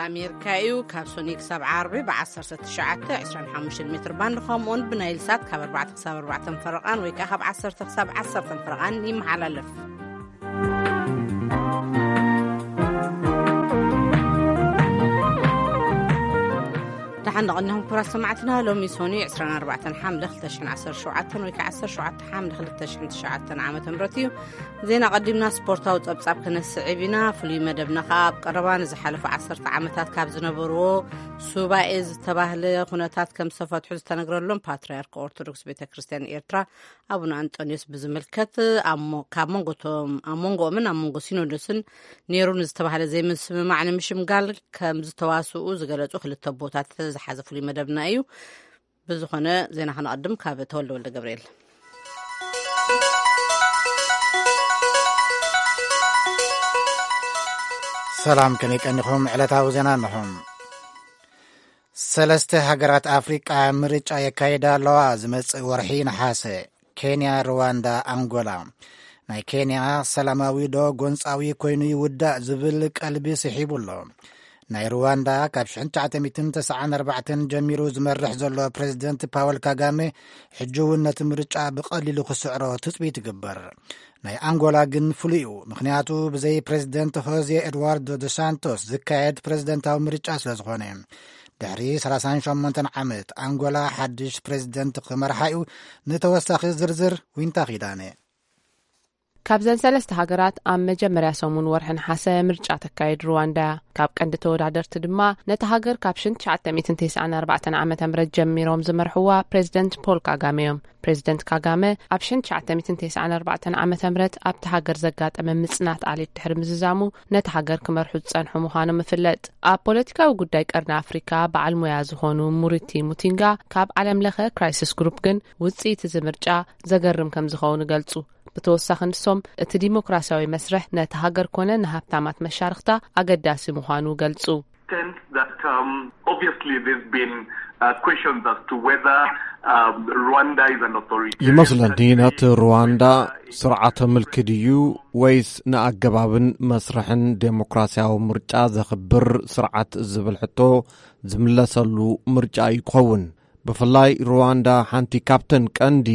ኣሜሪካ እዩ። ካብ ሶኒ ክሳብ ዓርቢ ብ1925 ሜትር ባንድ፣ ከምኡውን ብናይል ሳት ካብ ኣርባዕተ ክሳብ ኣርባዕተ ፈረቓን ወይ ከዓ ካብ ዓሰርተ ክሳብ ዓሰርተ ፈረቓን ይመሓላለፍ። ደሓን ንቐንኹም ክቡራት ሰማዕትና። ሎሚ ሶኒ ዕስራን ኣርባዕተን ሓምለ ክልተ ሽሕን ዓሰርተ ሸውዓተን ወይ ከዓ ዓሰርተ ሸውዓተ ሓምለ ክልተ ሽሕን ትሽዓተን ዓመተ ምህረት እዩ። ዜና ቀዲምና ስፖርታዊ ጸብጻብ ክነስዕብ ኢና። ፍሉይ መደብና ከኣ ኣብ ቀረባ ንዝሓለፉ ዓሰርተ ዓመታት ካብ ዝነበርዎ ሱባኤ ዝተባህለ ኩነታት ከም ዝተፈትሑ ዝተነግረሎም ፓትርያርክ ኦርቶዶክስ ቤተ ክርስቲያን ኤርትራ ኣቡነ ኣንጦንዮስ ብዝምልከት፣ ኣብ ሞ-፣ ካብ መንጎቶም-፣ ኣብ መንጎኦምን ኣብ መንጎ ሲኖዶስን ነይሩ ንዝተባህለ ዘይምስምማዕ ንምሽምጋል ከም ዝተዋስኡ ዝገለጹ ክልተ ኣቦታት ዝሓዘ ፍሉይ መደብና እዩ። ብዝኾነ፣ ዜና ከነቐድም ካብ ተወልደ ወልደ ገብርኤል። ሰላም፣ ከመይ ቀኒኹም? ዕለታዊ ዜና እንሆ። ሰለስተ ሃገራት ኣፍሪቃ ምርጫ የካይዳ ኣለዋ ዝመጽእ ወርሒ ነሓሰ። ኬንያ፣ ሩዋንዳ፣ ኣንጎላ። ናይ ኬንያ ሰላማዊ ዶ ጎንጻዊ ኮይኑ ይውዳእ ዝብል ቀልቢ ስሒቡ ኣሎ። ናይ ሩዋንዳ ካብ ሽሕን ትሽዓተ ሚእትን ተስዓን ኣርባዕተን ጀሚሩ ዝመርሕ ዘሎ ፕሬዝደንት ፓወል ካጋሜ ሕጂ እውን ነቲ ምርጫ ብቐሊሉ ክስዕሮ ትጽቢት ይግበር። ናይ ኣንጎላ ግን ፍሉይ እዩ፣ ምኽንያቱ ብዘይ ፕሬዝደንት ሆዜ ኤድዋርዶ ዶ ሳንቶስ ዝካየድ ፕሬዝደንታዊ ምርጫ ስለ ዝኾነ። ድሕሪ ሰላሳን ሸሞንተን ዓመት ኣንጎላ ሓድሽ ፕሬዝደንት ክመርሓ እዩ። ንተወሳኺ ዝርዝር ዊንታ ኪዳነ። ካብዘን ሰለስተ ሃገራት ኣብ መጀመርያ ሰሙን ወርሒ ነሓሰ ምርጫ ተካይድ ሩዋንዳ እያ። ካብ ቀንዲ ተወዳደርቲ ድማ ነቲ ሃገር ካብ ሽሕን ትሽዓተ ሚእትን ተስዓን ኣርባዕተን ዓመተ ምህረት ጀሚሮም ዝመርሕዋ ፕሬዝደንት ፖል ካጋሜ እዮም። ፕሬዝደንት ካጋመ ኣብ ሽሕን ትሽዓተ ሚእትን ተስዓን ኣርባዕተን ዓመተ ምህረት ኣብቲ ሃገር ዘጋጠመ ምጽናት ዓሌት ድሕሪ ምዝዛሙ ነቲ ሃገር ክመርሑ ዝጸንሑ ምዃኖም ይፍለጥ። ኣብ ፖለቲካዊ ጉዳይ ቀርኒ ኣፍሪካ በዓል ሞያ ዝኾኑ ሙሪቲ ሙቲንጋ ካብ ዓለም ለኸ ክራይሲስ ግሩፕ ግን ውጽኢት እዚ ምርጫ ዘገርም ከም ዝኸውን ይገልጹ። ብተወሳኺ ንሶም እቲ ዲሞክራሲያዊ መስርሕ ነቲ ሃገር ኮነ ንሃብታማት መሻርኽታ ኣገዳሲ ምዃኑ ገልጹ። Sense that, um, obviously there's been, uh, questions as to whether, um, Rwanda is an authoritarian ይመስለኒ country, ነቲ ሩዋንዳ whether it ስርዓተ ምልኪ ድዩ ወይስ ንኣገባብን መስርሕን ዴሞክራሲያዊ ምርጫ ዘኽብር ስርዓት ዝብል ሕቶ ዝምለሰሉ ምርጫ እዩ ክኸውን። ብፍላይ ሩዋንዳ ሓንቲ ካብተን ቀንዲ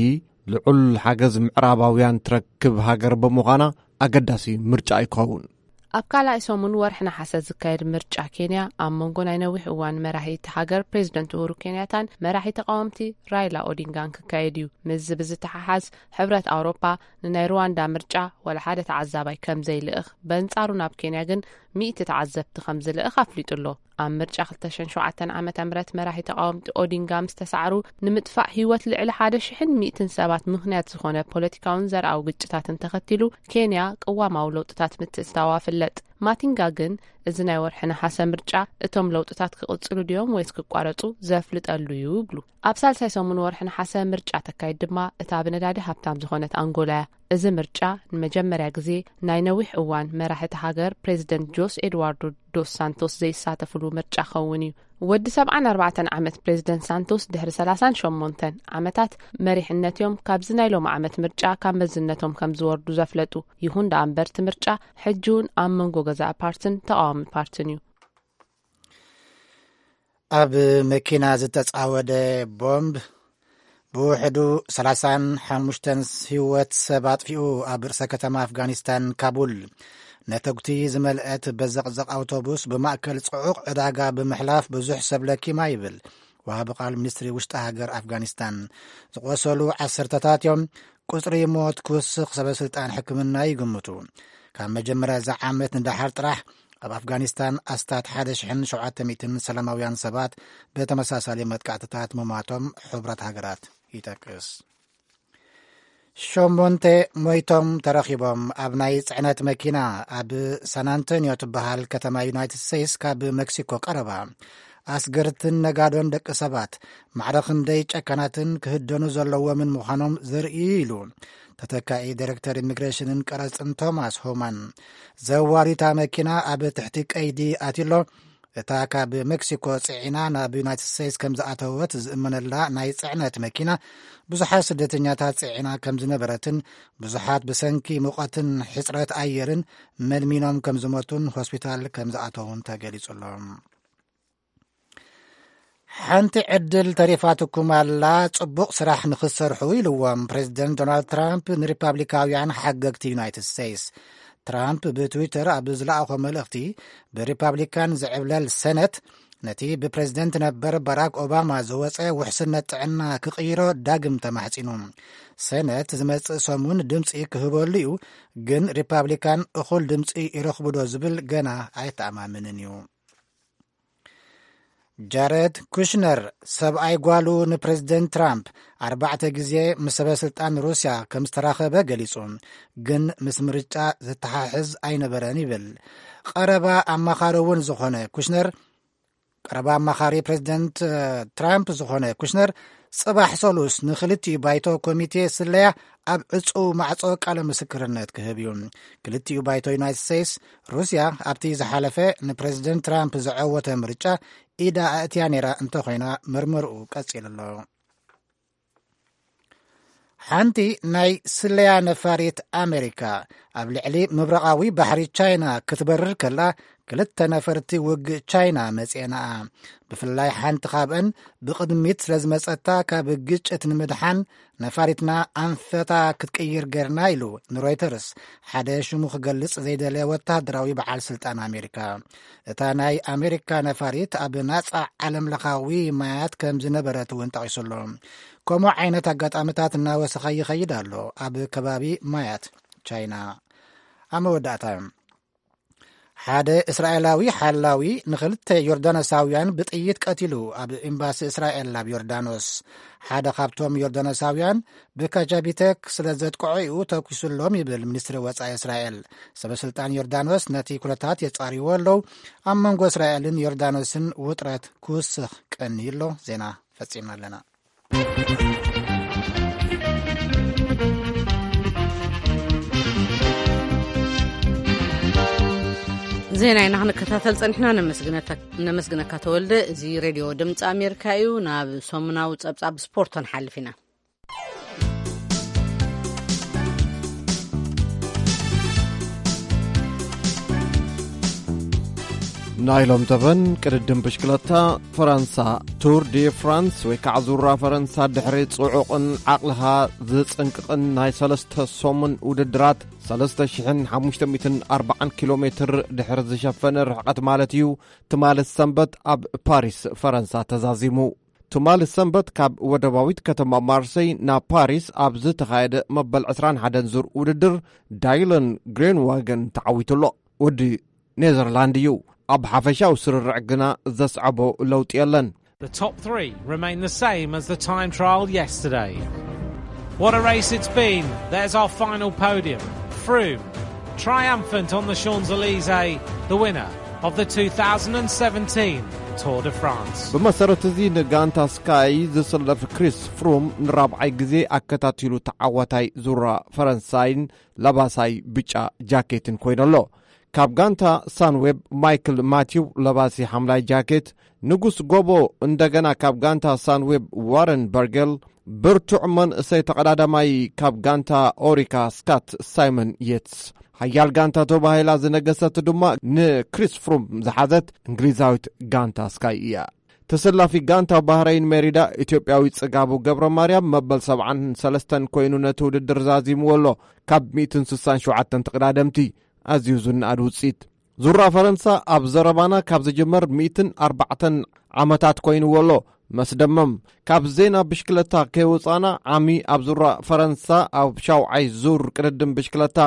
ልዑል ሓገዝ ምዕራባውያን ትረክብ ሃገር ብምዃና ኣገዳሲ ምርጫ እዩ ክኸውን። ኣብ ካልኣይ ሰሙን ወርሒ ነሓሰ ዝካየድ ምርጫ ኬንያ ኣብ መንጎ ናይ ነዊሕ እዋን መራሒ እቲ ሃገር ፕሬዝደንት ኡሁሩ ኬንያታን መራሒ ተቃወምቲ ራይላ ኦዲንጋን ክካየድ እዩ። ምስዚ ብዝተሓሓዝ ሕብረት ኣውሮፓ ንናይ ሩዋንዳ ምርጫ ዋላ ሓደ ተዓዛባይ ከም ዘይልእኽ፣ በንጻሩ ናብ ኬንያ ግን ሚእቲ ተዓዘብቲ ከም ዝልእኽ ኣፍሊጡ ኣሎ። ኣብ ምርጫ ክልተ ሽሕን ሸውዓተን ዓመተ ምህረት መራሒ ተቃወምቲ ኦዲንጋ ምስ ተሳዕሩ ንምጥፋእ ህይወት ልዕሊ ሓደ ሽሕን ሚእትን ሰባት ምኽንያት ዝኾነ ፖለቲካውን ዘርኣዊ ግጭታትን ተኸቲሉ ኬንያ ቅዋማዊ ለውጥታት ምትእትታዋ ፍለጥ። ማቲንጋ ግን እዚ ናይ ወርሒ ነሓሰ ምርጫ እቶም ለውጥታት ክቕጽሉ ድዮም ወይስ ክቋረጹ ዘፍልጠሉ እዩ ይብሉ። ኣብ ሳልሳይ ሰሙን ወርሒ ነሓሰ ምርጫ ተካይድ ድማ እታ ብነዳዲ ሃብታም ዝኾነት ኣንጎላ እያ። እዚ ምርጫ ንመጀመርያ ግዜ ናይ ነዊሕ እዋን መራሒ እታ ሃገር ፕሬዚደንት ጆስ ኤድዋርዶ ዶስ ሳንቶስ ዘይሳተፍሉ ምርጫ ክኸውን እዩ። ወዲ ሰብዓን ኣርባዕተን ዓመት ፕሬዚደንት ሳንቶስ ድሕሪ ሰላሳን ሸሞንተን ዓመታት መሪሕነት እዮም ካብዚ ናይ ሎሚ ዓመት ምርጫ ካብ መዝነቶም ከም ዝወርዱ ዘፍለጡ። ይኹን ደኣ እምበር እቲ ምርጫ ሕጂ እውን ኣብ መንጎ ገዛኢ ፓርትን ተቃዋሚ ፓርትን እዩ። ኣብ መኪና ዝተጻወደ ቦምብ ብውሕዱ ሰላሳን ሓሙሽተን ህይወት ሰብ ኣጥፊኡ። ኣብ ርእሰ ከተማ ኣፍጋኒስታን ካቡል ነተጉቲ ዝመልአት በዘቕዘቕ ኣውቶቡስ ብማእከል ጽዑቕ ዕዳጋ ብምሕላፍ ብዙሕ ሰብ ለኪማ ይብል ወሃቢ ቃል ሚኒስትሪ ውሽጢ ሃገር ኣፍጋኒስታን። ዝቖሰሉ ዓሰርተታት እዮም። ቁጽሪ ሞት ክውስኽ ሰበ ስልጣን ሕክምና ይግምቱ። ካብ መጀመርያ እዚ ዓመት ንደሓር ጥራሕ ኣብ ኣፍጋኒስታን ኣስታት ሓደ ሽሕን ሸውዓተ ሚእትን ሰላማውያን ሰባት ብተመሳሳሊ መጥቃዕትታት ምሟቶም ሕቡራት ሃገራት ይጠቅስ። ሸሞንተ ሞይቶም ተረኺቦም። ኣብ ናይ ጽዕነት መኪና ኣብ ሳን ኣንቶኒዮ ትበሃል ከተማ ዩናይትድ ስቴትስ ካብ ሜክሲኮ ቀረባ ኣስገርትን ነጋዶን ደቂ ሰባት ማዕረ ክንደይ ጨካናትን ክህደኑ ዘለዎምን ምዃኖም ዘርኢ ኢሉ ተተካኢ ዳይሬክተር ኢሚግሬሽንን ቀረጽን ቶማስ ሆማን። ዘዋሪታ መኪና ኣብ ትሕቲ ቀይዲ ኣትሎ። እታ ካብ ሜክሲኮ ጽዒና ናብ ዩናይትድ ስቴትስ ከም ዝኣተወት ዝእመነላ ናይ ጽዕነት መኪና ብዙሓት ስደተኛታት ጽዒና ከም ዝነበረትን ብዙሓት ብሰንኪ ሙቐትን ሕጽረት ኣየርን መድሚኖም ከም ዝሞቱን ሆስፒታል ከም ዝኣተዉን ተገሊጹ ኣሎ። ሓንቲ ዕድል ተሪፋትኩም ኣላ፣ ጽቡቕ ስራሕ ንኽትሰርሑ ኢልዎም ፕሬዚደንት ዶናልድ ትራምፕ ንሪፓብሊካውያን ሓገግቲ ዩናይትድ ስቴትስ። ትራምፕ ብትዊተር ኣብ ዝለኣኾ መልእኽቲ፣ ብሪፓብሊካን ዝዕብለል ሰነት ነቲ ብፕሬዚደንት ነበር ባራክ ኦባማ ዝወጸ ውሕስነት ጥዕና ክቕይሮ ዳግም ተማሕጺኑ። ሰነት ዝመጽእ ሰሙን ድምጺ ክህበሉ እዩ፣ ግን ሪፓብሊካን እኹል ድምጺ ይረኽቡ ዶ ዝብል ገና ኣይተኣማምንን እዩ። ጃረድ ኩሽነር፣ ሰብኣይ ጓሉ፣ ንፕሬዚደንት ትራምፕ ኣርባዕተ ግዜ ምስ ሰበ ስልጣን ሩስያ ከም ዝተራኸበ ገሊጹ፣ ግን ምስ ምርጫ ዝተሓሕዝ ኣይነበረን ይብል። ቀረባ ኣማኻሪ እውን ዝኾነ ኩሽነር፣ ቀረባ ኣማኻሪ ፕሬዚደንት ትራምፕ ዝኾነ ኩሽነር፣ ጽባሕ ሰሉስ ንክልቲኡ ባይቶ ኮሚቴ ስለያ ኣብ ዕጹው ማዕጾ ቃለ ምስክርነት ክህብ እዩ። ክልቲኡ ባይቶ ዩናይትድ ስቴትስ፣ ሩስያ ኣብቲ ዝሓለፈ ንፕሬዚደንት ትራምፕ ዘዐወተ ምርጫ ኢዳ ኣእትያ ነይራ እንተኾይና፣ መርመርኡ ቀጺሉ ኣሎ። ሓንቲ ናይ ስለያ ነፋሪት ኣሜሪካ ኣብ ልዕሊ ምብራቓዊ ባሕሪ ቻይና ክትበርር ከላ፣ ክልተ ነፈርቲ ውግእ ቻይና መጺኤናኣ። ብፍላይ ሓንቲ ካብአን ብቕድሚት ስለ ዝመጸታ፣ ካብ ግጭት ንምድሓን ነፋሪትና ኣንፈታ ክትቅይር ገርና ኢሉ ንሮይተርስ ሓደ ሽሙ ክገልጽ ዘይደለየ ወተሃደራዊ በዓል ስልጣን ኣሜሪካ። እታ ናይ ኣሜሪካ ነፋሪት ኣብ ናጻ ዓለም ለኻዊ ማያት ከም ዝነበረት እውን ጠቒሱ ኣሎ። ከምኡ ዓይነት ኣጋጣሚታት እናወሰኸ ይኸይድ ኣሎ ኣብ ከባቢ ማያት ቻይና። ኣብ መወዳእታ፣ ሓደ እስራኤላዊ ሓላዊ ንኽልተ ዮርዳኖሳውያን ብጥይት ቀቲሉ፣ ኣብ ኤምባሲ እስራኤል ኣብ ዮርዳኖስ። ሓደ ካብቶም ዮርዳኖሳውያን ብካጃቢተክ ስለ ዘጥቅዖ እዩ ተኩሱሎም ይብል ሚኒስትሪ ወጻኢ እስራኤል። ሰበ ስልጣን ዮርዳኖስ ነቲ ኩነታት የጻርይዎ ኣለዉ። ኣብ መንጎ እስራኤልን ዮርዳኖስን ውጥረት ክውስኽ ቀንዩ ኣሎ። ዜና ፈጺምና ኣለና። ዜና ኢና ክንከታተል ጸኒሕና። ነመስግነካ ተወልደ። እዚ ሬድዮ ድምፂ ኣሜሪካ እዩ። ናብ ሰሙናዊ ጸብጻብ ስፖርት ክንሓልፍ ኢና። ናይ ሎም ዘበን ቅድድም ብሽክለታ ፈረንሳ፣ ቱር ዲ ፍራንስ ወይ ከዓ ዙራ ፈረንሳ፣ ድሕሪ ጽዑቕን ዓቕልኻ ዝጽንቅቕን ናይ ሰለስተ ሰሙን ውድድራት፣ ሰለስተ ሽሕን ሓሙሽተ ሚእትን ኣርባዓን ኪሎ ሜትር ድሕሪ ዝሸፈነ ርሕቐት ማለት እዩ፣ ትማሊ ሰንበት ኣብ ፓሪስ ፈረንሳ ተዛዚሙ። ትማሊ ሰንበት ካብ ወደባዊት ከተማ ማርሰይ ናብ ፓሪስ ኣብ ዝተኻየደ መበል ዕስራን ሓደን ዙር ውድድር፣ ዳይለን ግሬንዋገን ተዓዊቱ ኣሎ። ወዲ ኔዘርላንድ እዩ። ኣብ ሓፈሻዊ ስርርዕ ግና ዘስዓቦ ለውጢ የለን። The top three remain the same as the time trial yesterday. What a race it's been. There's our final podium. Froome, triumphant on the Champs-Élysées, the winner of the two thousand seventeen Tour de France. ብመሰረት እዚ፣ ንጋንታ ስካይ ዝስለፍ ክሪስ ፍሩም ንራብዓይ ግዜ ኣከታቲሉ ተዓዋታይ ዙራ ፈረንሳይን ለባሳይ ብጫ ጃኬትን ኮይኑ ኣሎ። ካብ ጋንታ ሳንዌብ፣ ማይክል ማቲው ለባሲ ሓምላይ ጃኬት፣ ንጉስ ጎቦ እንደገና ካብ ጋንታ ሳንዌብ፣ ዋረን በርገል፣ ብርቱዕ መንእሰይ ተቐዳዳማይ ካብ ጋንታ ኦሪካ፣ ስካት ሳይመን የትስ። ሓያል ጋንታ ተባሂላ ዝነገሰት ድማ ንክሪስ ፍሩም ዝሓዘት እንግሊዛዊት ጋንታ ስካይ እያ። ተሰላፊ ጋንታ ባህረይን ሜሪዳ፣ ኢትዮጵያዊ ጽጋቡ ገብረ ማርያም፣ መበል ሰብዓን ሰለስተን ኮይኑ ነቲ ውድድር ዛዚምዎ ኣሎ። ካብ ሚእትን ስሳን ሸውዓተን ተቐዳደምቲ ኣዝዩ ዝነኣድ ውጽኢት። ዙራ ፈረንሳ ኣብ ዘረባና ካብ ዝጅመር ሚእትን ኣርባዕተን ዓመታት ኮይንዎ ኣሎ። መስደመም። ካብ ዜና ብሽክለታ ከይወጻና፣ ዓሚ ኣብ ዙራ ፈረንሳ ኣብ ሻውዓይ ዙር ቅድድም ብሽክለታ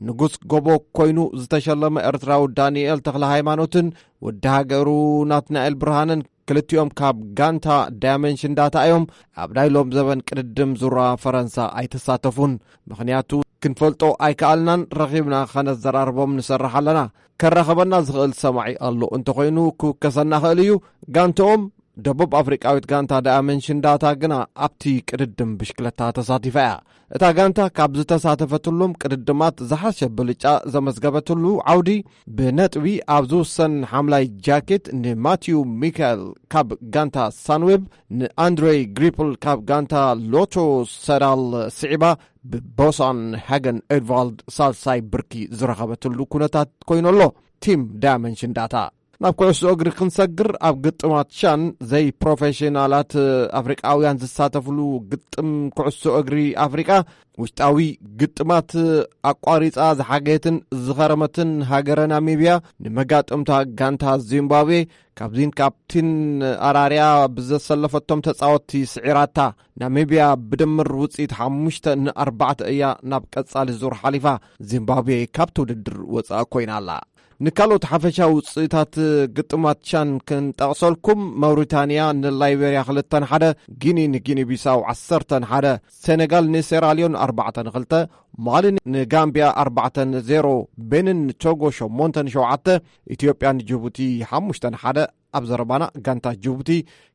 ንጉስ ጎቦ ኮይኑ ዝተሸለመ ኤርትራዊ ዳንኤል ተኽለ ሃይማኖትን ወዲ ሃገሩ ናትናኤል ብርሃነን፣ ክልቲኦም ካብ ጋንታ ዳያመንሽን ዳታ እዮም፣ ኣብ ናይ ሎም ዘበን ቅድድም ዙራ ፈረንሳ ኣይተሳተፉን። ምኽንያቱ ክንፈልጦ ኣይከኣልናን፣ ረኺብና ከነዘራርቦም ንሰርሕ ኣለና። ከራኸበና ዝኽእል ሰማዒ ኣሎ እንተኾይኑ ክውከሰና ኽእል እዩ። ጋንተኦም ደቡብ ኣፍሪቃዊት ጋንታ ዳያመንሽን ዳታ ግና ኣብቲ ቅድድም ብሽክለታ ተሳቲፋ እያ። እታ ጋንታ ካብ ዝተሳተፈትሎም ቅድድማት ዝሓሸ ብልጫ ዘመዝገበትሉ ዓውዲ፣ ብነጥቢ ኣብ ዝውሰን ሓምላይ ጃኬት ንማቲዩ ሚካኤል ካብ ጋንታ ሳንዌብ፣ ንኣንድሬይ ግሪፕል ካብ ጋንታ ሎቶ ሰዳል ስዒባ፣ ብቦሳን ሃገን ኤድቫልድ ሳልሳይ ብርኪ ዝረኸበትሉ ኩነታት ኮይኑ ኣሎ። ቲም ዳያመንሽን ዳታ ናብ ኩዕሶ እግሪ ክንሰግር፣ ኣብ ግጥማት ሻን ዘይፕሮፌሽናላት ኣፍሪቃውያን ዝሳተፍሉ ግጥም ኩዕሶ እግሪ ኣፍሪቃ፣ ውሽጣዊ ግጥማት ኣቋሪጻ ዝሓገየትን ዝኸረመትን ሃገረ ናሚብያ፣ ንመጋጥምታ ጋንታ ዚምባብዌ ካብዚን ካብቲን ኣራርያ ብዘሰለፈቶም ተጻወትቲ ስዒራታ። ናሚብያ ብድምር ውጽኢት ሓሙሽተ ንኣርባዕተ እያ ናብ ቀጻሊ ዙር ሓሊፋ። ዚምባብዌ ካብቲ ውድድር ወጻእ ኮይና ኣላ። ንካልኦት ሓፈሻዊ ውጽኢታት ግጥማት ቻን ክንጠቕሰልኩም፣ መውሪታንያ ንላይቤርያ ክልተ ንሓደ፣ ጊኒ ንጊኒ ቢሳው ዓሰርተ ንሓደ፣ ሴኔጋል ንሴራልዮን ኣርባዕተ ንክልተ፣ ማሊ ንጋምብያ ኣርባዕተ ንዜሮ፣ ቤኒን ንቶጎ ሸሞንተ ንሸውዓተ፣ ኢትዮጵያ ንጅቡቲ ሓሙሽተ ንሓደ። ኣብ ዘረባና፣ ጋንታ ጅቡቲ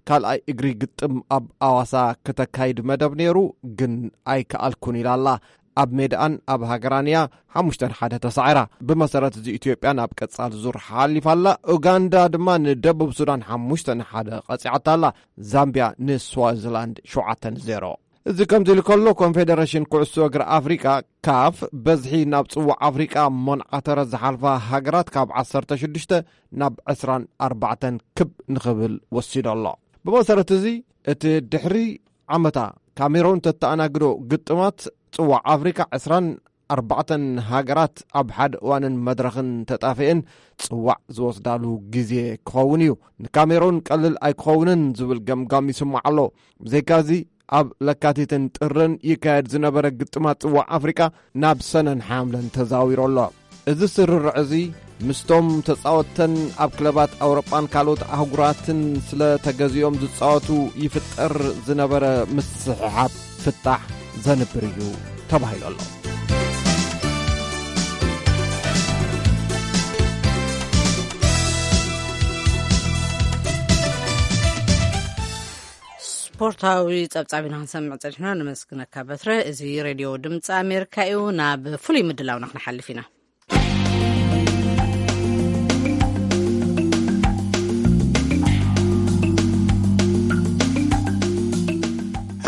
ካልኣይ እግሪ ግጥም ኣብ ኣዋሳ ክተካይድ መደብ ነይሩ፣ ግን ኣይከኣልኩን ኢላ ኣላ። ኣብ ሜድኣን ኣብ ሃገራን እያ ሓሙሽተ ንሓደ ተሳዒራ። ብመሰረት እዚ፣ ኢትዮጵያ ናብ ቀጻሊ ዙር ሓሊፋ ኣላ። ኡጋንዳ ድማ ንደቡብ ሱዳን ሓሙሽተ ንሓደ ቀጺዓታ ኣላ። ዛምቢያ ንስዋዚላንድ ሸውዓተ ንዜሮ። እዚ ከምዚ ኢሉ ከሎ፣ ኮንፌደሬሽን ኩዕሶ እግሪ ኣፍሪቃ፣ ካፍ፣ በዝሒ ናብ ጽዋዕ ኣፍሪቃ ሞንዓተረ ዝሓልፋ ሃገራት ካብ ዓሰርተ ሽዱሽተ ናብ ዕስራን ኣርባዕተን ክብ ንኽብል ወሲዶ ኣሎ። ብመሰረት እዚ፣ እቲ ድሕሪ ዓመታ ካሜሮን ተተኣናግዶ ግጥማት ጽዋዕ ኣፍሪቃ፣ ዕስራን ኣርባዕተን ሃገራት ኣብ ሓደ እዋንን መድረኽን ተጣፊአን ጽዋዕ ዝወስዳሉ ግዜ ክኸውን እዩ። ንካሜሮን ቀልል ኣይክኸውንን ዝብል ገምጋም ይስማዕ ኣሎ። ብዘይካዚ፣ ኣብ ለካቲትን ጥርን ይካየድ ዝነበረ ግጥማት ጽዋዕ ኣፍሪቃ ናብ ሰነን ሓምለን ተዛዊሩ ኣሎ። እዚ ስርርዕ እዚ፣ ምስቶም ተጻወትተን ኣብ ክለባት ኣውሮጳን ካልኦት ኣህጉራትን ስለ ተገዚኦም ዝጻወቱ ይፍጠር ዝነበረ ምስሕሓብ ፍታሕ ዘንብር እዩ ተባሂሉ ኣሎ። ስፖርታዊ ጸብጻብ ኢና ክንሰምዕ ጸኒሕና። ነመስግነካ በትረ። እዚ ሬድዮ ድምፂ ኣሜሪካ እዩ። ናብ ፍሉይ ምድላውና ክንሓልፍ ኢና።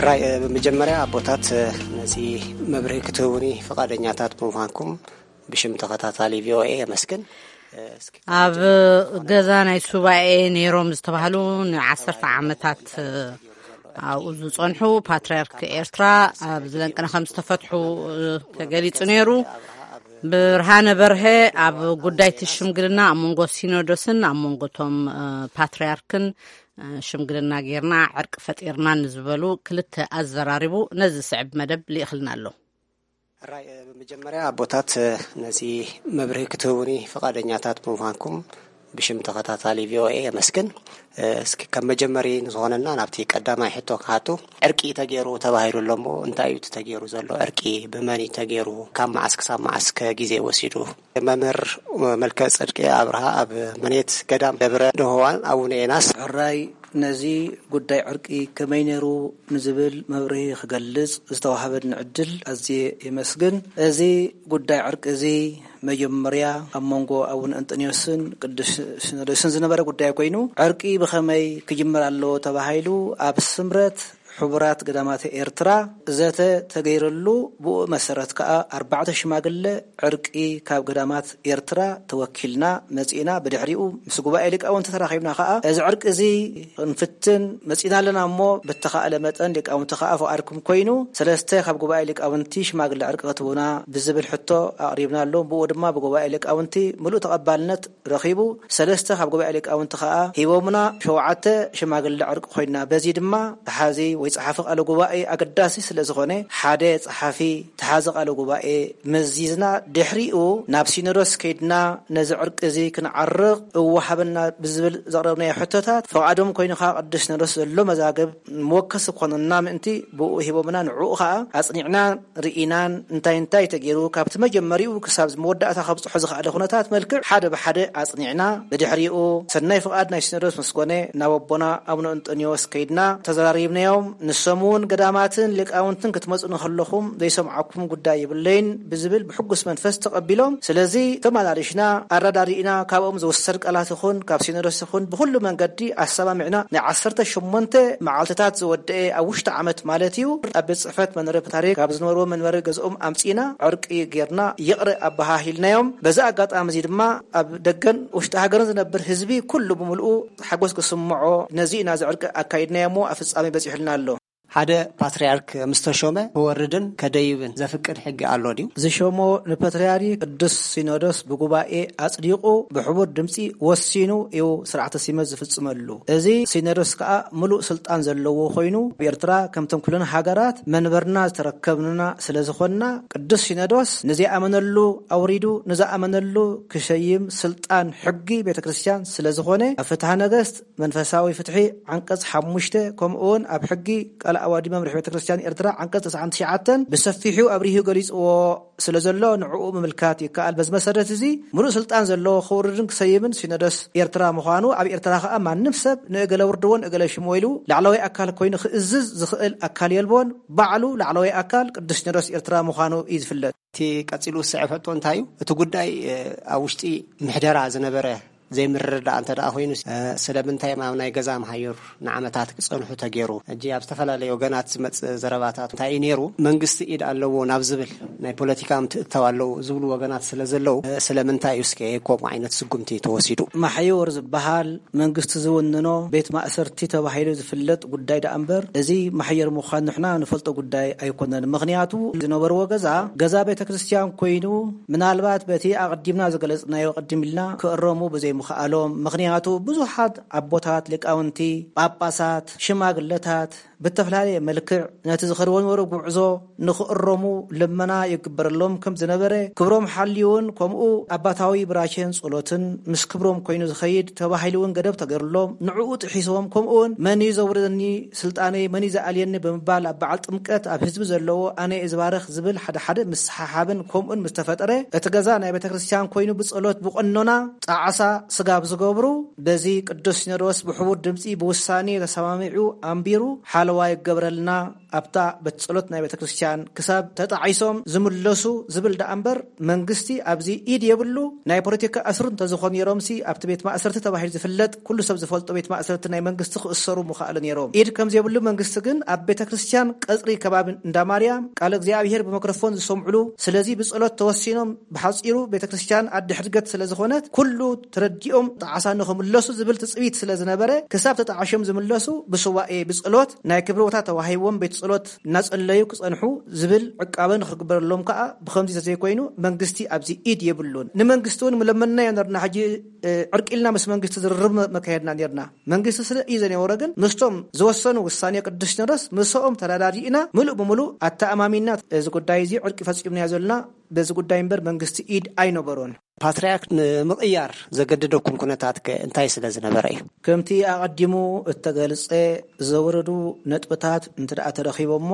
ራይ፣ እ፣ ብምጀመርያ ኣቦታት፣ እ፣ ነዚ መብርሂ ክትህቡኒ ፍቓደኛታት ብምዃንኩም ብሽም ተኸታታሊ ቪ ኦ ኤ የመስግን። እ፣ እስኪ ኣብ ገዛ ናይ ሱባኤ ነይሮም ዝተባህሉ ንዓሰርተ ዓመታት፣ እ፣ ኣብኡ ዝጸንሑ ፓትርያርክ ኤርትራ ኣብ ዝለንቅነ ከም ዝተፈትሑ፣ እ፣ ተገሊጹ ነይሩ። ብርሃነ በርሀ ኣብ ጉዳይ እቲ ሽምግልና ኣብ መንጎ ሲኖዶስን ኣብ መንጎ እቶም፣ እ፣ ፓትርያርክን፣ እ፣ ሽምግልና ጌርና ዕርቂ ፈጢርና ንዝበሉ ክልተ ኣዘራሪቡ ነዚ ዝስዕብ መደብ ልኢኽልና ኣሎ። ራይ፣ እ፣ ብምጀመርያ ኣቦታት፣ እ፣ ነዚ መብርሂ ክትህቡኒ ፍቓደኛታት ብምዃንኩም ብሽም ተኸታታሊ ቪ ኦ ኤ የመስግን። እ፣ እስኪ ከም መጀመሪ ንዝኾነና ናብቲ ቀዳማይ ሕቶ ክሓቱ፣ ዕርቂ ተገይሩ ተባሂሉ ኣሎ እሞ፣ እንታይ እዩ እቲ ተገይሩ ዘሎ ዕርቂ? ብመን እዩ ተገይሩ? ካብ መዓስ ክሳብ መዓስ ከ ግዜ ወሲዱ? መምህር መልከ ጽድቂ ኣብርሃ ኣብ መኔት ገዳም ደብረ ደሆዋን ኣቡነ ኤናስ። ሕራይ፣ ነዚ ጉዳይ ዕርቂ ከመይ ነይሩ ንዝብል መብርሂ ክገልጽ ዝተዋህበኒ ዕድል ኣዝየ የመስግን። እዚ ጉዳይ ዕርቂ እዚ መጀመርያ ኣብ መንጎ ኣቡነ እንጠንዮስን ቅዱስ ሲኖዶስን ዝነበረ ጉዳይ ኮይኑ፣ ዕርቂ ብኸመይ ክጅመር ኣለዎ ተባሂሉ ኣብ ስምረት ሕቡራት ገዳማት ኤርትራ ዘተ ተገይረሉ፣ ብኡ መሰረት ከኣ ኣርባዕተ ሽማግለ ዕርቂ ካብ ገዳማት ኤርትራ ተወኪልና መጺእና። ብድሕሪኡ ምስ ጉባኤ ሊቃውንቲ ተራኺብና ከኣ፣ እዚ ዕርቂ እዚ ክንፍትን መጺእና ኣለና እሞ፣ ብተኻእለ መጠን ሊቃውንቲ ከኣ ፍቓድኩም ኮይኑ፣ ሰለስተ ካብ ጉባኤ ሊቃውንቲ ሽማግለ ዕርቂ ክትህቡና ብዝብል ሕቶ ኣቕሪብናሎም። ብኡ ድማ ብጉባኤ ሊቃውንቲ ምሉእ ተቐባልነት ረኺቡ፣ ሰለስተ ካብ ጉባኤ ሊቃውንቲ ከኣ ሂቦምና፣ ሸውዓተ ሽማግለ ዕርቂ ኮይንና። በዚ ድማ ተሓዚ ወይ ጸሓፊ ቃለ ጉባኤ ኣገዳሲ ስለ ዝኾነ፣ ሓደ ጸሓፊ ተሓዚ ቃለ ጉባኤ መዚዝና፣ ድሕሪኡ ናብ ሲኖዶስ ከይድና ነዚ ዕርቂ እዚ ክንዓርቕ እወሃበና ብዝብል ዘቕረብናዮ ሕቶታት፣ ፍቓዶም ኮይኑ ከኣ ቅዱስ ሲኖዶስ ዘሎ መዛግብ መወከሲ ክኾነና ምእንቲ ብኡ ሂቦምና። ንዕኡ ከኣ ኣጽኒዕና ርኢናን እንታይ እንታይ ተገይሩ፣ ካብቲ መጀመሪኡ ክሳብ መወዳእታ ከብጽሖ ዝኸኣለ ኩነታት መልክዕ ሓደ ብሓደ ኣጽኒዕና፣ ብድሕሪኡ ሰናይ ፍቓድ ናይ ሲኖዶስ ምስ ኮነ ናብ ኣቦና ኣቡነ እንጦንዮስ ከይድና ተዘራሪብናዮም። ንሶም እውን ገዳማትን ሊቃውንትን ክትመጹ ንከለኹም ዘይሰምዓኩም ጉዳይ የብለይን ብዝብል ብሕጉስ መንፈስ ተቐቢሎም፣ ስለዚ ተመላሊሽና ኣረዳዲእና ካብኦም ዝውሰድ ቃላት ይኹን ካብ ሲኖዶስ ይኹን ብኹሉ መንገዲ ኣሰማሚዕና ናይ ዓሰርተ ሸሞንተ መዓልትታት ዝወደአ ኣብ ውሽጢ ዓመት ማለት እዩ ኣብ ቤት ጽሕፈት መንበረ ፓትርያርክ ካብ ዝነበርዎ መንበሪ ገዝኦም ኣምጺእና ዕርቂ ጌርና ይቕረ ኣበሃሂልናዮም። በዚ ኣጋጣሚ እዚ ድማ ኣብ ደገን ውሽጢ ሃገርን ዝነብር ህዝቢ ኩሉ ብምልኡ ሓጎስ ክስምዖ ነዚ ኢና እዚ ዕርቂ ኣካይድናዮ እሞ ኣብ ፍጻሜ በጺሑልና ኣሎ። ሓደ ፓትርያርክ ምስ ተሾመ ክወርድን ከደይብን ዘፍቅድ ሕጊ ኣሎ ድዩ? ዝሾሞ ንፓትርያርክ ቅዱስ ሲኖዶስ ብጉባኤ ኣጽዲቑ ብሕቡር ድምጺ ወሲኑ እዩ ስርዓተ ሲመት ዝፍጽመሉ። እዚ ሲኖዶስ ከኣ ምሉእ ስልጣን ዘለዎ ኮይኑ ኣብ ኤርትራ ከምቶም ኩለን ሃገራት መንበርና ዝተረከብና ስለ ዝኾንና ቅዱስ ሲኖዶስ ንዘይኣመነሉ ኣውሪዱ ንዝኣመነሉ ክሸይም ስልጣን ሕጊ ቤተ ክርስቲያን ስለ ዝኾነ ኣብ ፍትሐ ነገስት መንፈሳዊ ፍትሒ ዓንቀጽ ሓሙሽተ ከምኡ እውን ኣብ ሕጊ ቃል ኣዋዲ መምርሒ ቤተ ክርስቲያን ኤርትራ ዓንቀጽ ተስዓን ትሽዓተን ብሰፊሑ ኣብሪሁ ገሊጽዎ ስለ ዘሎ ንዕኡ ምምልካት ይከኣል። በዚ መሰረት እዚ ምሉእ ስልጣን ዘለዎ ክውርድን ክሰይምን ሲኖዶስ ኤርትራ ምዃኑ ኣብ ኤርትራ ከኣ ማንም ሰብ ንእገለ ውርድዎን እገለ ሽሞ ኢሉ ላዕለዋይ ኣካል ኮይኑ ክእዝዝ ዝኽእል ኣካል የልቦን። ባዕሉ ላዕለዋይ ኣካል ቅዱስ ሲኖዶስ ኤርትራ ምዃኑ እዩ ዝፍለጥ። እቲ ቀጺሉ ዝስዕብ ሕቶ እንታይ እዩ? እቲ ጉዳይ ኣብ ውሽጢ ምሕደራ ዝነበረ ዘይምርድዳእ እንተ ደኣ ኮይኑ ስለምንታይ ኣብ ናይ ገዛ መሃዮር ንዓመታት ክጸንሑ ተገይሩ? ሕጂ ኣብ ዝተፈላለዩ ወገናት ዝመጽእ ዘረባታት እንታይ እዩ ነይሩ? መንግስቲ ኢድ ኣለዎ ናብ ዝብል ናይ ፖለቲካ ምትእትታው ኣለዉ ዝብሉ ወገናት ስለ ዘለዉ ስለምንታይ እዩ እስከ ከምኡ ዓይነት ስጉምቲ ተወሲዱ? ማሕዮር ዝበሃል መንግስቲ ዝውንኖ ቤት ማእሰርቲ ተባሂሉ ዝፍለጥ ጉዳይ ደኣ እምበር እዚ ማሕየር ምዃን ንሕና ንፈልጦ ጉዳይ ኣይኮነን። ምኽንያቱ ዝነበርዎ ገዛ ገዛ ቤተ ክርስቲያን ኮይኑ ምናልባት በቲ ኣቐዲምና ዝገለጽናዮ ቅድም ኢልና ክእረሙ ብዘይምኽኣሎም ምኽንያቱ ብዙሓት ኣቦታት ሊቃውንቲ ጳጳሳት ሽማግለታት ብተፈላለየ መልክዕ ነቲ ዝኸድዎ ዝነበሩ ጉዕዞ ንኽእረሙ ልመና ይግበረሎም ከም ዝነበረ ክብሮም ሓልዩን ከምኡ ኣባታዊ ብራኬን ጸሎትን ምስ ክብሮም ኮይኑ ዝኸይድ ተባሂሉ እውን ገደብ ተገይሩሎም ንዕኡ ጥሒሶም ከምኡ እውን መን እዩ ዘውርደኒ ስልጣነይ መን እዩ ዝኣልየኒ ብምባል ኣብ በዓል ጥምቀት ኣብ ህዝቢ ዘለዎ ኣነ እየ ዝባርኽ ዝብል ሓደ ሓደ ምስሓሓብን ከምኡን ምስ ተፈጠረ እቲ ገዛ ናይ ቤተ ክርስቲያን ኮይኑ ብጸሎት ብቐኖና ጣዕሳ ስጋብ ዝገብሩ በዚ ቅዱስ ሲኖዶስ ብሕቡር ድምፂ ብውሳኔ ተሰማሚዑ ኣንቢሩ ሓለዋ ይገበረልና ኣብታ ቤት ጸሎት ናይ ቤተ ክርስቲያን ክሳብ ተጣዒሶም ዝምለሱ ዝብል ደኣ እምበር መንግስቲ ኣብዚ ኢድ የብሉ ናይ ፖለቲካ ኣስሩ እንተዝኾኑ ነይሮምሲ ኣብቲ ቤት ማእሰርቲ ተባሂሉ ዝፍለጥ ኩሉ ሰብ ዝፈልጦ ቤት ማእሰርቲ ናይ መንግስቲ ክእሰሩ ምኽኣሉ ነይሮም ኢድ ከም ዘይብሉ መንግስቲ ግን ኣብ ቤተ ክርስቲያን ቀጽሪ ከባቢ እንዳ ማርያም ቃለ እግዚኣብሔር ብመክረፎን ዝሰምዕሉ ስለዚ ብጸሎት ተወሲኖም ብሓጺሩ ቤተ ክርስቲያን ኣዲ ሕድገት ስለ ዝኾነት ኩሉ ተረዲኦም ጣዕሳ ንኽምለሱ ዝብል ትጽቢት ስለ ዝነበረ ክሳብ ተጣዕሾም ዝምለሱ ብሱባኤ ብጸሎት ናይ ክብሪ ቦታ ተዋሂቦም ቤት ጸሎት እናጸለዩ ክጸንሑ ዝብል ዕቃበ ንኽግበረሎም ከኣ ብኸምዚ ተዘይኮይኑ መንግስቲ ኣብዚ ኢድ የብሉን። ንመንግስቲ እውን ምለመንናዮ ነርና ሕጂ ዕርቂልና ምስ መንግስቲ ዝርርብ መካየድና ነርና። መንግስቲ ስለ እዩ ዘነበረ ግን ምስቶም ዝወሰኑ ውሳኔ ቅዱስ ሲኖዶስ ምስኦም ተረዳዲእና ምሉእ ብምሉእ ኣተኣማሚና እዚ ጉዳይ እዚ ዕርቂ ፈጺምናዮ ዘለና በዚ ጉዳይ እምበር መንግስቲ ኢድ ኣይነበሮን። ፓትርያርክ ንምቕያር ዘገደደኩም ኩነታት ከ እንታይ ስለ ዝነበረ እዩ? ከምቲ ኣቐዲሙ እተገልጸ ዘወረዱ ነጥብታት እንተ ደኣ ተረኺቦሞ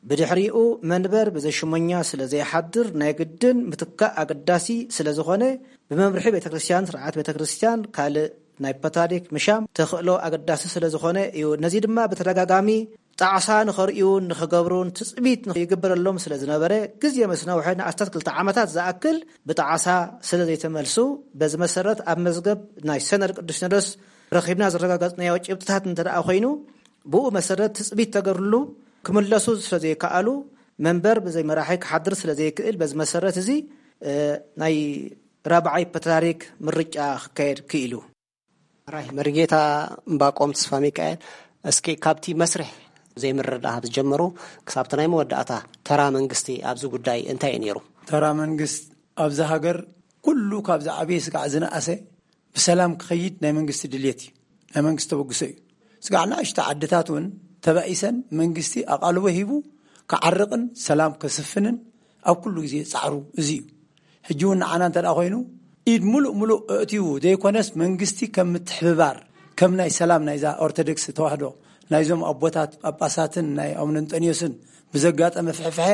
ብድሕሪኡ መንበር ብዘሽሞኛ ስለ ዘይሓድር ናይ ግድን ምትካእ ኣገዳሲ ስለ ዝኾነ ብመምርሒ ቤተ ክርስቲያን ስርዓት ቤተ ክርስቲያን ካልእ ናይ ፓትርያርክ ምሻም ተኽእሎ ኣገዳሲ ስለ ዝኾነ እዩ። ነዚ ድማ ብተደጋጋሚ ጣዕሳ ንኸርእዩን ንኽገብሩን ትጽቢት ይግበረሎም ስለ ዝነበረ ግዜ ምስ ነውሐ ንኣስታት ክልተ ዓመታት ዝኣክል ብጣዕሳ ስለ ዘይተመልሱ በዚ መሰረት ኣብ መዝገብ ናይ ሰነድ ቅዱስ ሲኖዶስ ረኺብና ዘረጋገጽናዮ ጭብጥታት እንተ ደኣ ኮይኑ ብኡ መሰረት ትጽቢት ተገርሉ ክምለሱ ስለ ዘይከኣሉ መንበር ብዘይ መራሒ ክሓድር ስለ ዘይክእል በዚ መሰረት እዚ ናይ ራብዓይ ፓትርያርክ ምርጫ ክካየድ ክኢሉ። ራይ መርጌታ እምባቆም ተስፋ ሚካኤል እስኪ ካብቲ መስርሕ ዘይምርዳእ ዝጀመሩ ክሳብቲ ናይ መወዳእታ ተራ መንግስቲ ኣብዚ ጉዳይ እንታይ እዩ ነይሩ? ተራ መንግስት ኣብዚ ሃገር ኩሉ ካብ ዝዓበየ ስጋዕ ዝነኣሰ ብሰላም ክኸይድ ናይ መንግስቲ ድልየት እዩ። ናይ መንግስቲ ተበግሶ እዩ። ስጋዕ ንኣሽቱ ዓድታት እውን ተባኢሰን መንግስቲ ኣቓልቦ ሂቡ ክዓርቕን ሰላም ከስፍንን ኣብ ኩሉ ግዜ ጻዕሩ እዚ እዩ። ሕጂ እውን ንዓና እንተ ደኣ ኮይኑ ኢድ ሙሉእ ሙሉእ ኣእትዩ ዘይኮነስ መንግስቲ ከም ምትሕብባር ከም ናይ ሰላም ናይዛ ኦርቶዶክስ ተዋህዶ ናይዞም ኣቦታት ጳጳሳትን ናይ ኣቡነ እንጠንዮስን ብዘጋጠመ ፍሕፍሐ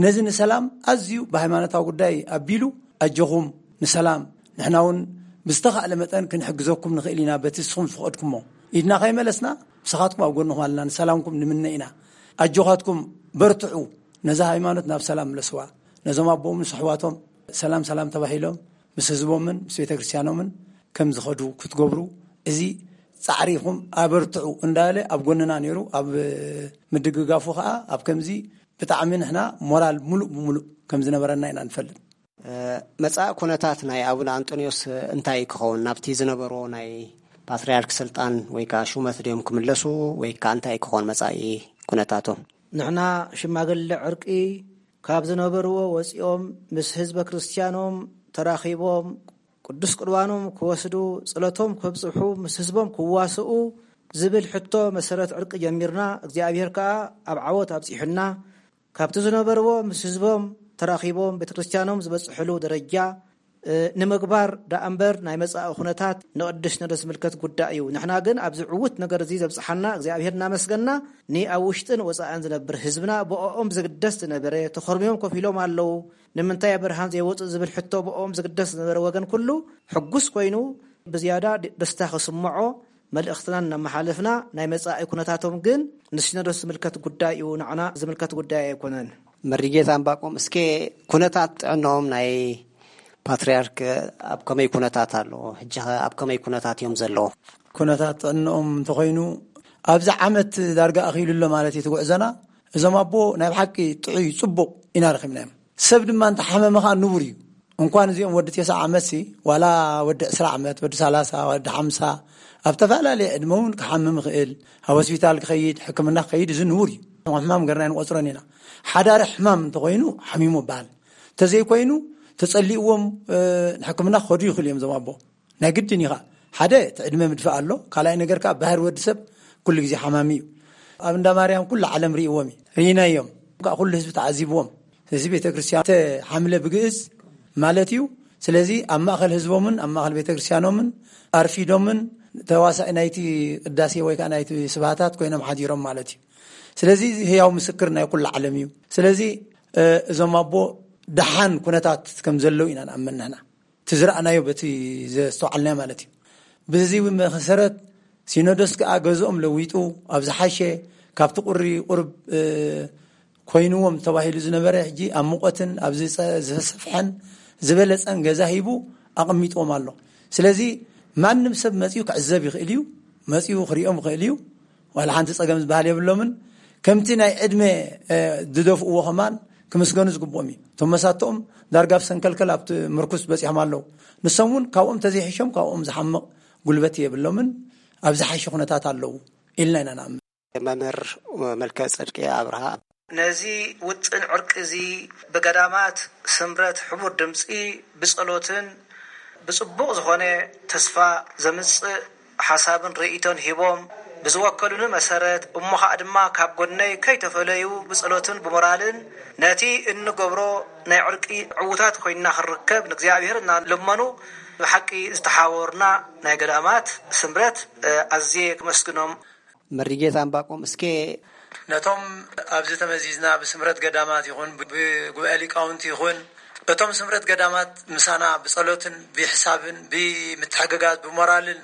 ነዚ ንሰላም ኣዝዩ ብሃይማኖታዊ ጉዳይ ኣቢሉ ኣጆኹም ንሰላም ንሕና እውን ብዝተኻእለ መጠን ክንሕግዘኩም ንኽእል ኢና በቲ ንስኹም ዝፈቐድኩሞ ኢድና ከይመለስና፣ ምሳኻትኩም ኣብ ጎንኹም ኣለና፣ ንሰላምኩም ንምነ ኢና። ኣጆኻትኩም፣ በርትዑ፣ ነዛ ሃይማኖት ናብ ሰላም ምለስዋ። ነዞም ኣቦኦም ምስ ኣሕዋቶም ሰላም ሰላም ተባሂሎም ምስ ህዝቦምን ምስ ቤተ ክርስቲያኖምን ከም ዝኸዱ ክትገብሩ፣ እዚ ጻዕሪኹም ኣበርትዑ እንዳለ ኣብ ጎንና ነይሩ። ኣብ ምድግጋፉ ከኣ ኣብ ከምዚ ብጣዕሚ ንሕና ሞራል ሙሉእ ብሙሉእ ከም ዝነበረና ኢና ንፈልጥ። መጻኢ ኩነታት ናይ ኣቡነ ኣንጦንዮስ እንታይ ክኸውን? ናብቲ ዝነበርዎ ናይ ፓትርያርክ ስልጣን ወይ ከኣ ሹመት ድዮም ክምለሱ ወይ ከኣ እንታይ ክኸውን መጻኢ ኩነታቶም? ንሕና ሽማግለ ዕርቂ ካብ ዝነበርዎ ወጺኦም ምስ ህዝበ ክርስቲያኖም ተራኺቦም ቅዱስ ቁርባኖም ክወስዱ፣ ጸሎቶም ከብጽሑ፣ ምስ ህዝቦም ክዋስኡ ዝብል ሕቶ መሰረት ዕርቂ ጀሚርና። እግዚኣብሔር ከኣ ኣብ ዓወት ኣብጺሑና። ካብቲ ዝነበርዎ ምስ ህዝቦም ተራኺቦም ቤተ ክርስቲያኖም ዝበጽሕሉ ደረጃ፣ እ፣ ንምግባር ደኣ እምበር ናይ መጻኢ ኩነታት ንቅዱስ ሲኖዶስ ዝምልከት ጉዳይ እዩ። ንሕና ግን ኣብዚ ዕዉት ነገር እዚ ዘብጽሓና እግዚኣብሔር እናመስገና፣ ንኣብ ውሽጥን ወጻእን ዝነብር ህዝብና ብኦኦም ዝግደስ ዝነበረ ተኾርሚዮም ኮፍ ኢሎም ኣለዉ። ንምንታይ ኣብ ብርሃን ዘይወጹ ዝብል ሕቶ ብኦኦም ዝግደስ ዝነበረ ወገን ኩሉ ሕጉስ ኮይኑ ብዝያዳ ድ-፣ ደስታ ክስምዖ መልእኽትና እናመሓለፍና፣ ናይ መጻኢ ኩነታቶም ግን ንሲኖዶስ ዝምልከት ጉዳይ እዩ፣ ንዓና ዝምልከት ጉዳይ ኣይኮነን። መሪጌታ ዕንባቆም፣ እስከ ኩነታት ጥዕንኦም ናይ ፓትርያርክ ኣብ ከመይ ኩነታት ኣሎ? ሕጂ ኸ ኣብ ከመይ ኩነታት እዮም ዘለዉ? ኩነታት ጥዕንኦም እንተኾይኑ፣ ኣብዚ ዓመት ዳርጋ ኣኺሉ ኣሎ ማለት እዩ እቲ ጉዕዞና። እዞም ኣቦ ናይ ብሓቂ ጥዑይ ጽቡቕ ኢና ረኺብናዮም። ሰብ ድማ እንተሓመመ ኸኣ ንቡር እዩ። እንኳን እዚኦም ወዲ ተስዓ ዓመትሲ፣ ዋላ ወዲ ዕስራ ዓመት፣ ወዲ ሰላሳ፣ ወዲ ሓምሳ፣ ኣብ ተፈላለየ ዕድመ እውን ክሓምም ይኽእል። ኣብ ሆስፒታል ክኸይድ፣ ሕክምና ክኸይድ፣ እዚ ንቡር እዩ። ከም ሕማም ገርና ኣይንቆጽሮን ኢና። ሓዳሪ ሕማም እንተኾይኑ ሓሚሙ ይበሃል። እንተዘይኮይኑ፣ ተጸሊእዎም፣ እ፣ ንሕክምና ክኸዱ ይኽእሉ እዮም እዞም ኣቦ። ናይ ግድን እዩ ኸኣ። ሓደ፣ እቲ ዕድመ ምድፋእ ኣሎ። ካልኣይ ነገር ከኣ፣ ባህሪ ወዲ ሰብ ኩሉ ግዜ ሓማሚ እዩ። ኣብ እንዳ ማርያም ኩሉ ዓለም ርእይዎም እዩ። ርኢናዮም። ከኣ ኩሉ ህዝቢ ተዓዚብዎም። እዚ ቤተ ክርስቲያን ተሓምለ ብግእዝ ማለት እዩ። ስለዚ ኣብ ማእከል ህዝቦምን ኣብ ማእከል ቤተ ክርስቲያኖምን ኣርፊዶምን ተዋሳኢ ናይቲ ቅዳሴ ወይ ከኣ ናይቲ ስብሃታት ኮይኖም ሓዲሮም ማለት እዩ። ስለዚ እዚ ህያው ምስክር ናይ ኩሉ ዓለም እዩ። ስለዚ፣ እ፣ እዞም ኣቦ ደሓን ኩነታት ከም ዘለዉ ኢና ንኣምን ንሕና። እቲ ዝረኣናዮ በቲ ዘስተውዓልናዮ ማለት እዩ። በዚ መሰረት ሲኖዶስ ከኣ ገዝኦም ለዊጡ ኣብ ዝሓሸ ካብቲ ቁሪ ቁርብ፣ እ፣ ኮይንዎም ተባሂሉ ዝነበረ ሕጂ ኣብ ሙቐትን ኣብ ዝጸ-፣ ዝሰፍሐን ዝበለጸን ገዛ ሂቡ ኣቐሚጥዎም ኣሎ። ስለዚ ማንም ሰብ መጺኡ ክዕዘብ ይኽእል እዩ፣ መጺኡ ክሪኦም ይኽእል እዩ። ዋላ ሓንቲ ጸገም ዝበሃል የብሎምን። ከምቲ ናይ ዕድመ፣ እ፣ ዝደፍእዎ ከማን ክምስገኑ ዝግብኦም እዩ። እቶም መሳትኦም ዳርጋ ኣብ ሰንከልከል ኣብቲ ምርኩስ በጺሖም ኣለዉ። ንሶም እውን ካብኦም ተዘይሕሾም ካብኦም ዝሓምቕ ጉልበት የብሎምን። ኣብ ዝሓሸ ኩነታት ኣለዉ ኢልና ኢና ንኣምን። መምህር መልከ ጽድቂ ኣብርሃ። ነዚ ውጥን ዕርቂ እዚ ብገዳማት ስምረት ሕቡር ድምጺ ብጸሎትን ብጽቡቕ ዝኾነ ተስፋ ዘምጽእ ሓሳብን ርእይቶን ሂቦም ብዝወከሉኒ መሰረት፣ እሞ ኸኣ ድማ ካብ ጎነይ ከይተፈለዩ ብጸሎትን ብሞራልን ነቲ እንገብሮ ናይ ዕርቂ ዕዉታት ኮይንና ክንርከብ ንእግዚኣብሔር እናለመኑ ብሓቂ ዝተሓባበሩና ናይ ገዳማት ስምረት፣ እ፣ ኣዝየ ክመስግኖም። መሪጌታ ዕንባቆም፣ እስከ ነቶም ኣብዚ ተመዚዝና ብስምረት ገዳማት ይኹን ብጉባኤ ሊቃውንቲ ይኹን እቶም ስምረት ገዳማት ምሳና ብጸሎትን ብሕሳብን ብምትሕግጋዝ ብሞራልን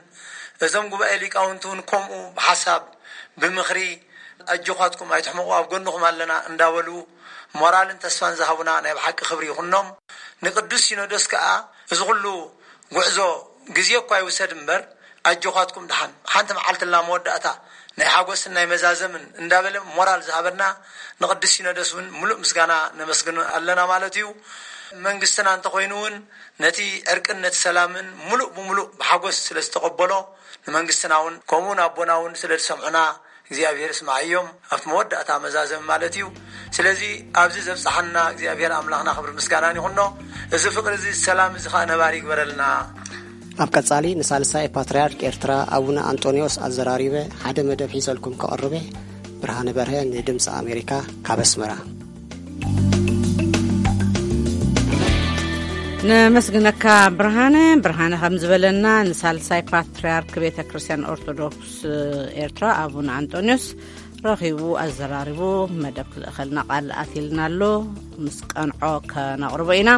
እዞም ጉባኤ ሊቃውንቲ እውን ከምኡ ብሓሳብ ብምኽሪ ኣጆኻትኩም ኣይትሕመቑ ኣብ ጎንኹም ኣለና እንዳበሉ ሞራልን ተስፋን ዝሃቡና ናይ ብሓቂ ክብሪ ይኹኖም። ንቅዱስ ሲኖዶስ ከኣ እዚ ኩሉ ጉዕዞ ግዜ እኳ ይውሰድ እምበር ኣጆኻትኩም ደሓን ሓንቲ መዓልቲ ኣላ መወዳእታ ናይ ሓጎስን ናይ መዛዘምን እንዳበለ ሞራል ዝሃበና ንቅዱስ ሲኖዶስ እውን ሙሉእ ምስጋና ነመስግን ኣለና ማለት እዩ። መንግስትና እንተኾይኑ እውን ነቲ ዕርቅን ነቲ ሰላምን ሙሉእ ብሙሉእ ብሓጎስ ስለ ዝተቐበሎ ንመንግስትና እውን ከምኡ ንኣቦና እውን ስለ ዝሰምዑና እግዚኣብሔር ስምዓዮም ኣብቲ መወዳእታ መዛዘም ማለት እዩ። ስለዚ ኣብዚ ዘብጽሓና እግዚኣብሔር ኣምላኽና ክብሪ ምስጋናን ይኹኖ። እዚ ፍቕሪ እዚ ሰላም እዚ ኸኣ ነባሪ ይግበረልና። ኣብ ቀጻሊ ንሳልሳይ ፓትርያርክ ኤርትራ ኣቡነ ኣንጦንዮስ ኣዘራሪበ ሓደ መደብ ሒዘልኩም ከቕርበ ብርሃነ በርሀ ንድምፂ ኣሜሪካ ካብ ኣስመራ። ነመስግነካ ብርሃነ። ብርሃነ ከም ዝበለና ንሳልሳይ ፓትርያርክ ቤተ ክርስቲያን ኦርቶዶክስ ኤርትራ ኣቡነ ኣንጦንዮስ ረኺቡ ኣዘራሪቡ መደብ ክልእኸልና ቃል ኣትልና ኣሎ። ምስ ቀንዖ ከነቕርቦ ኢና።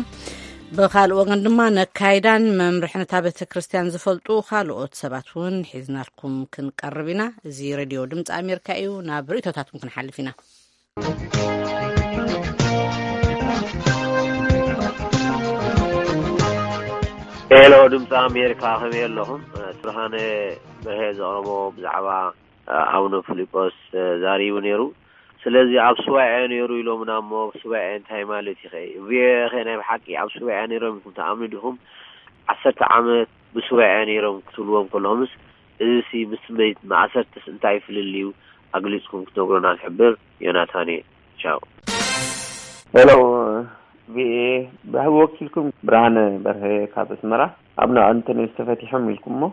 ብኻልእ ወገን ድማ ነካይዳን መምርሒ ነታ ቤተ ክርስቲያን ዝፈልጡ ካልኦት ሰባት እውን ሒዝናልኩም ክንቀርብ ኢና። እዚ ሬድዮ ድምፂ ኣሜሪካ እዩ። ናብ ርእይቶታትኩም ክንሓልፍ ኢና። ሄሎ ድምፂ ኣሜሪካ፣ ከመይ ኣለኹም? ብርሃነ በርሀ ዘቕረቦ ብዛዕባ ኣቡነ ፊሊጶስ ዛሪቡ ነይሩ። ስለዚ ኣብ ሱባኤ ነይሩ ኢሎምና እሞ፣ ሱባኤ እንታይ ማለት እዩ? ቪኦኤ ከ ናይ ብሓቂ ኣብ ሱባኤ ነይሮም ኢልኩም ትኣምኑ ዲኹም? ዓሰርተ ዓመት ብሱባኤ ነይሮም ክትብልዎም ከለኹምስ፣ እዚ ሲ ምስ ትንበይት ማእሰርትስ እንታይ ፍልልዩ ኣግሊጽኩም ክትነግሩና ንሕብር። ዮናታን እየ። ቻው። ሄሎ ቪኤ፣ ብወኪልኩም ብርሃነ በርሀ ካብ ኣስመራ። ኣቡነ ኣንቶንዮስ ተፈቲሖም ኢልኩም እሞ፣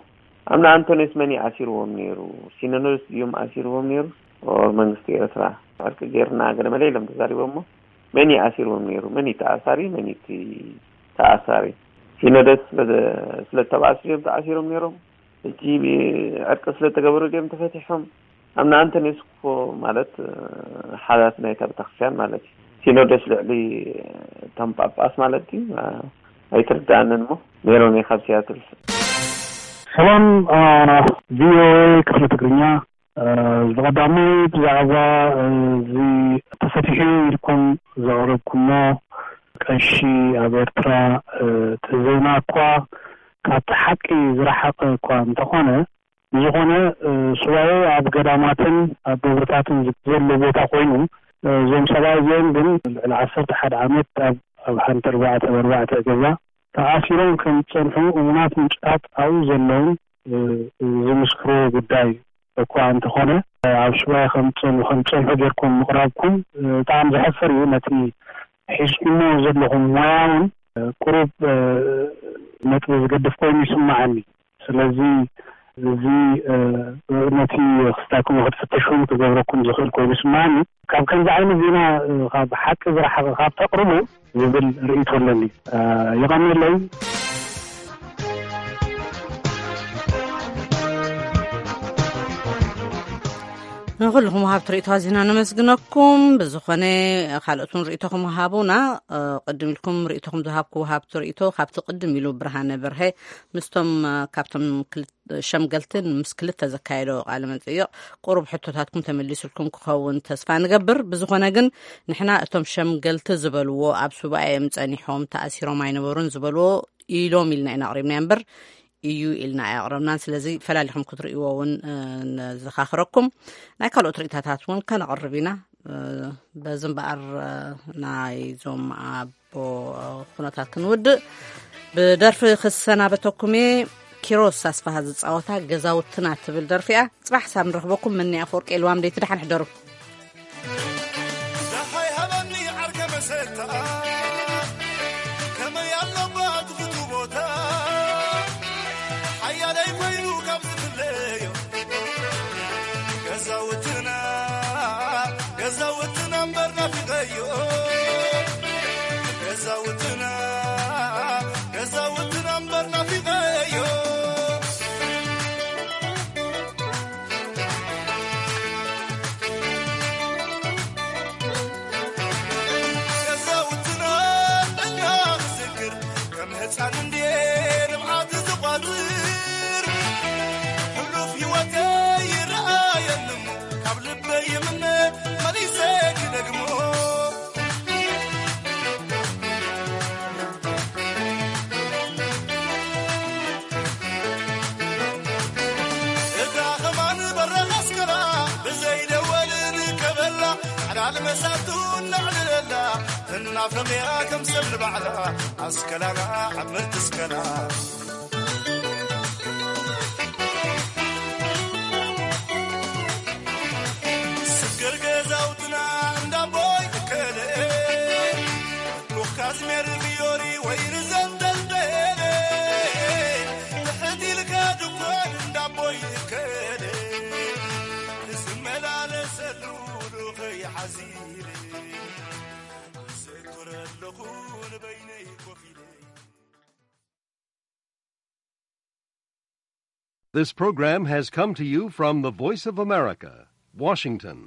ኣቡነ ኣንቶንዮስ መን ይኣሲርዎም ነይሩ? ሲኖዶስ ድዮም ኣሲርዎም ነይሩ? ኦር መንግስቲ ኤርትራ ዕርቂ ጌርና ገለ መለ ኢሎም ተዛሪቦም እሞ፣ መን ይኣሲርዎም ነይሩ? መን እዩ ተኣሳሪ? መን እዩ እቲ ተኣሳሪ? ሲኖዶስ ስለ ዝተባኣሱ ድዮም ተኣሲሮም ነይሮም? ሕጂ ዕርቂ ስለ ተገበሩ ድዮም ተፈቲሖም? ኣቡነ ኣንቶንዮስ እኮ ማለት ሓላት ናይታ ቤተክርስትያን ማለት እዩ። ሲኖዶስ ልዕሊ እቶም ጳጳስ ማለት እዩ። ኣይትርዳእንን እሞ። ሜሮን እየ ካብ ሲያትል። ሰላም ቪኦኤ ክፍሊ ትግርኛ። ብቐዳማይ ብዛዕባ እዚ ተፈቲሑ ኢልኩም ዘቕረብኩሞ ቀሺ ኣብ ኤርትራ፣ እቲ ዜና እኳ ካብቲ ሓቂ ዝረሓቐ እኳ እንተኾነ፣ ብዝኾነ ሱባኤ ኣብ ገዳማትን ኣብ ደብርታትን ዘሎ ቦታ ኮይኑ፣ እዞም ሰብኣይ እዚኦም ግን ልዕሊ ዓሰርተ ሓደ ዓመት ኣብ ኣብ ሓንቲ ኣርባዕተ ኣርባዕተ ገዛ ተኣሲሮም ከም ዝጸንሑ እሙናት ምንጭታት ኣብኡ ዘለውን ዝምስክርዎ ጉዳይ እኳ እንተኾነ፣ ኣብ ሱባኤ ከም ዝጸንሑ ከም ዝጸንሑ ጌርኩም ምቕራብኩም ብጣዕሚ ዘሕፍር እዩ። ነቲ ሒዝኩሞ ዘለኹም ሞያ እውን ቁሩብ ነጥቢ ዝገድፍ ኮይኑ ይስምዓኒ። ስለዚ እዚ ነቲ ክስታኩም ክትፍትሹን ክገብረኩም ዝኽእል ኮይኑ ይስምዓኒ። ካብ ከምዚ ዓይነት ዜና ካብ ሓቂ ዝረሓቐ ካብ ተቕርቡ ዝብል ርእይቶ ኣለኒ። የቐንየለይ። ንኹልኹም ወሃብቲ ርእይቶ ኣዚና ነመስግነኩም። ብዝኾነ ካልኦት እውን ርእይቶኹም ሃቡና። ቅድም ኢልኩም ርእይቶኹም ዝሃብኩ ወሃብቲ ርእይቶ ካብቲ ቅድም ኢሉ ብርሃነ በርሀ ምስቶም ካብቶም ሸምገልትን ምስ ክልተ ዘካየዶ ቃለ መጠይቕ ቁሩብ ሕቶታትኩም ተመሊሱልኩም ክኸውን ተስፋ ንገብር። ብዝኾነ ግን ንሕና እቶም ሸምገልቲ ዝበልዎ ኣብ ሱባኤ እዮም ጸኒሖም ተኣሲሮም ኣይነበሩን ዝበልዎ ኢሎም ኢልና ኢና ኣቕሪብና እምበር እዩ ኢልና ኣየቕረብናን። ስለዚ ፈላሊኹም ክትርእይዎ እውን ነዘኻኽረኩም። ናይ ካልኦት ርእይታታት እውን ከነቕርብ ኢና። በዚ እምበኣር ናይዞም ኣቦ ኩነታት ክንውድእ ብደርፊ ክሰናበተኩም እየ። ኪሮስ ኣስፋሃ ዝፃወታ ገዛውትና ትብል ደርፊ እያ። ፅባሕ ሳብ ንረኽበኩም። መኒ ኣፈወርቂ የልዋም ደይቲ ደሓን ሕደሩ። ደሃይ ሃበኒ ዓርከ መሰታ ከመይ ኣለባ ትፍቱ ቦታ ሓያለይ ኮይኑ ካብ ዝፍለዮ ገዛውትና ገዛውትና እምበር ናፊቐዮ ገዛውትና ገዛውትና እምበር ናፊቐዮ ገዛውትና እናኽዝክር ከም ህፃን እንድየ ልምዓት ዝቋፅር ሕሉፍ ህይወተይ ይረኣየኒ እሞ ካብ ልበይ ይምነ መሊሰ ክደግሞ እታ ኸማን በረኻ ኣስከላ ብዘይ ደወል ንከበላ ሓላል መሳቱ እናዕልለላ ትናፈቕያ ከም ሰብ ንባዕላ ኣስከላና ዓመት እስከላ ስገር ገዛውትና እንዳቦይ እከለ ካዝሜር ፊዮሪ ወይ ርዘንደልደለ ትሕት ኢልካ ድኳን እንዳቦይ እከለ ዝመላለሰሉ ዱኸይ ሓዚለ ዘክረ ኣለኹ ንበይነይ ኮፍ ኢለ This program has come to you from the Voice of America, Washington.